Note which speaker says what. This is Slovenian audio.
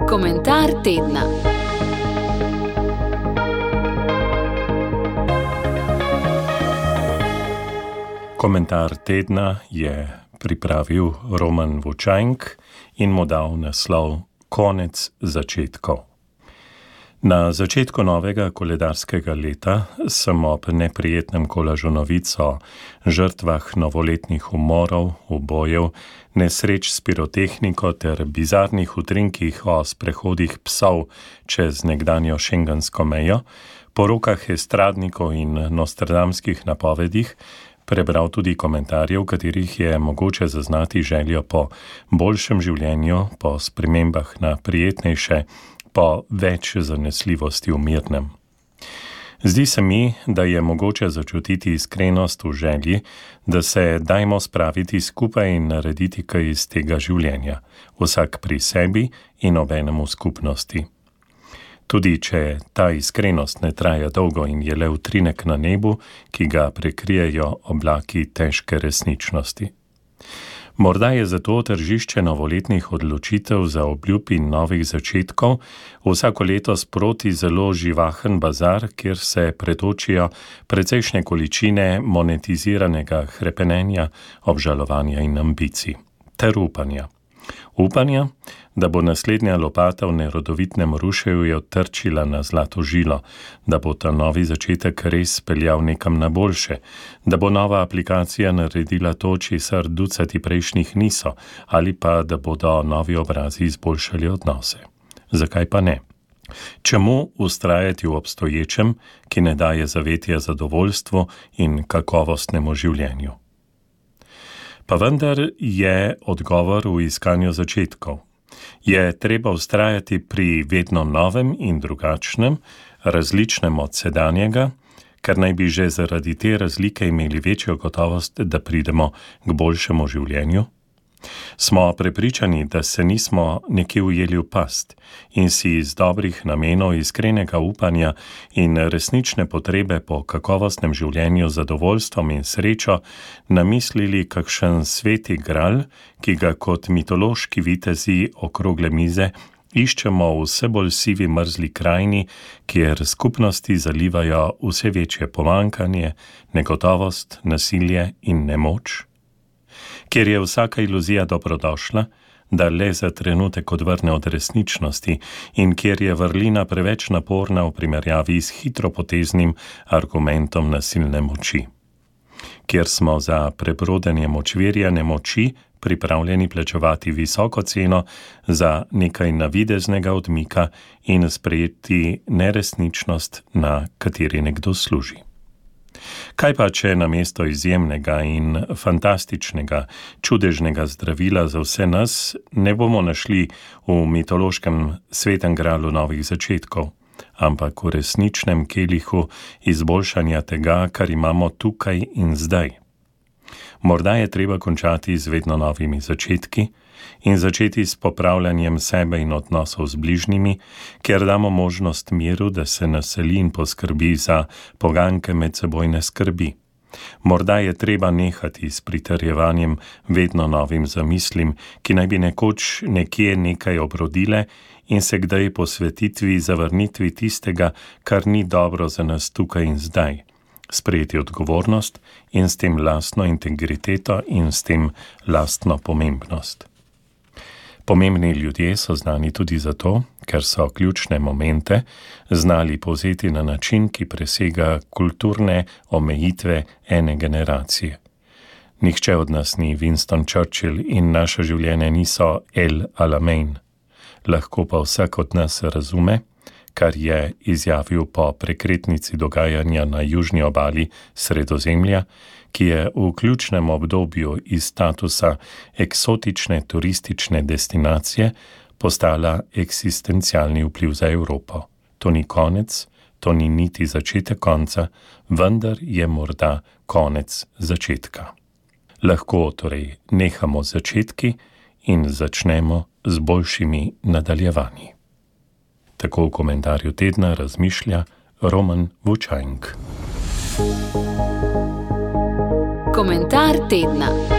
Speaker 1: Komentar tedna.
Speaker 2: Komentar tedna je pripravil Roman Vučajnk in mu dal naslov Konec začetkov. Na začetku novega koledarskega leta sem ob neprijetnem kolažu novic o žrtvah novoletnih umorov, ubojev, nesreč s pirotehniko ter bizarnih utrinkih o sprehodih psov čez nekdanjo šengensko mejo, porokah estradnikov in nostradamskih napovedih prebral tudi komentarje, v katerih je mogoče zaznati željo po boljšem življenju, po spremembah na prijetnejše, po več zanesljivosti v mirnem. Zdi se mi, da je mogoče začutiti iskrenost v želji, da se dajmo spraviti skupaj in narediti kaj iz tega življenja, vsak pri sebi in obenem v skupnosti. Tudi če ta iskrenost ne traja dolgo in je le utrinek na nebu, ki ga prekrijejo oblaki težke resničnosti. Morda je zato tržišče novoletnih odločitev za obljub in novih začetkov vsako leto sproti zelo živahen bazar, kjer se pretočijo precejšnje količine monetiziranega hrepenenja, obžalovanja in ambicij, ter upanja. Upanja, da bo naslednja lopata v nerodovitnem ruševju trčila na zlato žilo, da bo ta novi začetek res peljal nekam na boljše, da bo nova aplikacija naredila to, česar ducati prejšnjih niso, ali pa da bodo novi obrazi izboljšali odnose. Zakaj pa ne? Čemu ustrajati v obstoječem, ki ne daje zavetja zadovoljstvu in kakovostnemu življenju? Pa vendar je odgovor v iskanju začetkov. Je treba ustrajati pri vedno novem in drugačnem, različnem od sedanjega, ker naj bi že zaradi te razlike imeli večjo gotovost, da pridemo k boljšemu življenju? Smo prepričani, da se nismo nekje ujeli v past in si iz dobrih namenov, iskrenega upanja in resnične potrebe po kakovostnem življenju, zadovoljstvom in srečo namislili kakšen sveti gral, ki ga kot mitološki vitezi okrogle mize iščemo v vse bolj sivi mrzli krajini, kjer skupnosti zalivajo vse večje pomanjkanje, negotovost, nasilje in nemoč? Kjer je vsaka iluzija dobrodošla, da le za trenutek odvrne od resničnosti in kjer je vrlina preveč naporna v primerjavi s hitropoteznim argumentom nasilne moči. Kjer smo za prebrodenje močvirjane moči pripravljeni plačevati visoko ceno za nekaj navideznega odmika in sprejeti neresničnost, na kateri nekdo služi. Kaj pa, če namesto izjemnega in fantastičnega, čudežnega zdravila za vse nas ne bomo našli v mitološkem svetem gralu novih začetkov, ampak v resničnem kelihu izboljšanja tega, kar imamo tukaj in zdaj? Morda je treba končati z vedno novimi začetki in začeti s popravljanjem sebe in odnosov z bližnjimi, kjer damo možnost miru, da se naseli in poskrbi za poganjke medsebojne skrbi. Morda je treba nehati s pritrjevanjem vedno novim zamislim, ki naj bi nekoč nekje nekaj obrodile in se kdaj posvetitvi zavrnitvi tistega, kar ni dobro za nas tukaj in zdaj. Sprejeti odgovornost in s tem lastno integriteto in s tem lastno pomembnost. Pomembni ljudje so znani tudi zato, ker so ključne momente znali povzeti na način, ki presega kulturne omejitve ene generacije. Nihče od nas ni Winston Churchill in naša življenja niso El Alamein. Lahko pa vsak od nas razume, kar je izjavil po prekretnici dogajanja na južni obali Sredozemlja, ki je v ključnem obdobju iz statusa eksotične turistične destinacije postala eksistencialni vpliv za Evropo. To ni konec, to ni niti začetek konca, vendar je morda konec začetka. Lahko torej nehamo z začetki in začnemo z boljšimi nadaljevanji. Tako v komentarju tedna razmišlja Roman Vučajnk.
Speaker 1: Komentar tedna.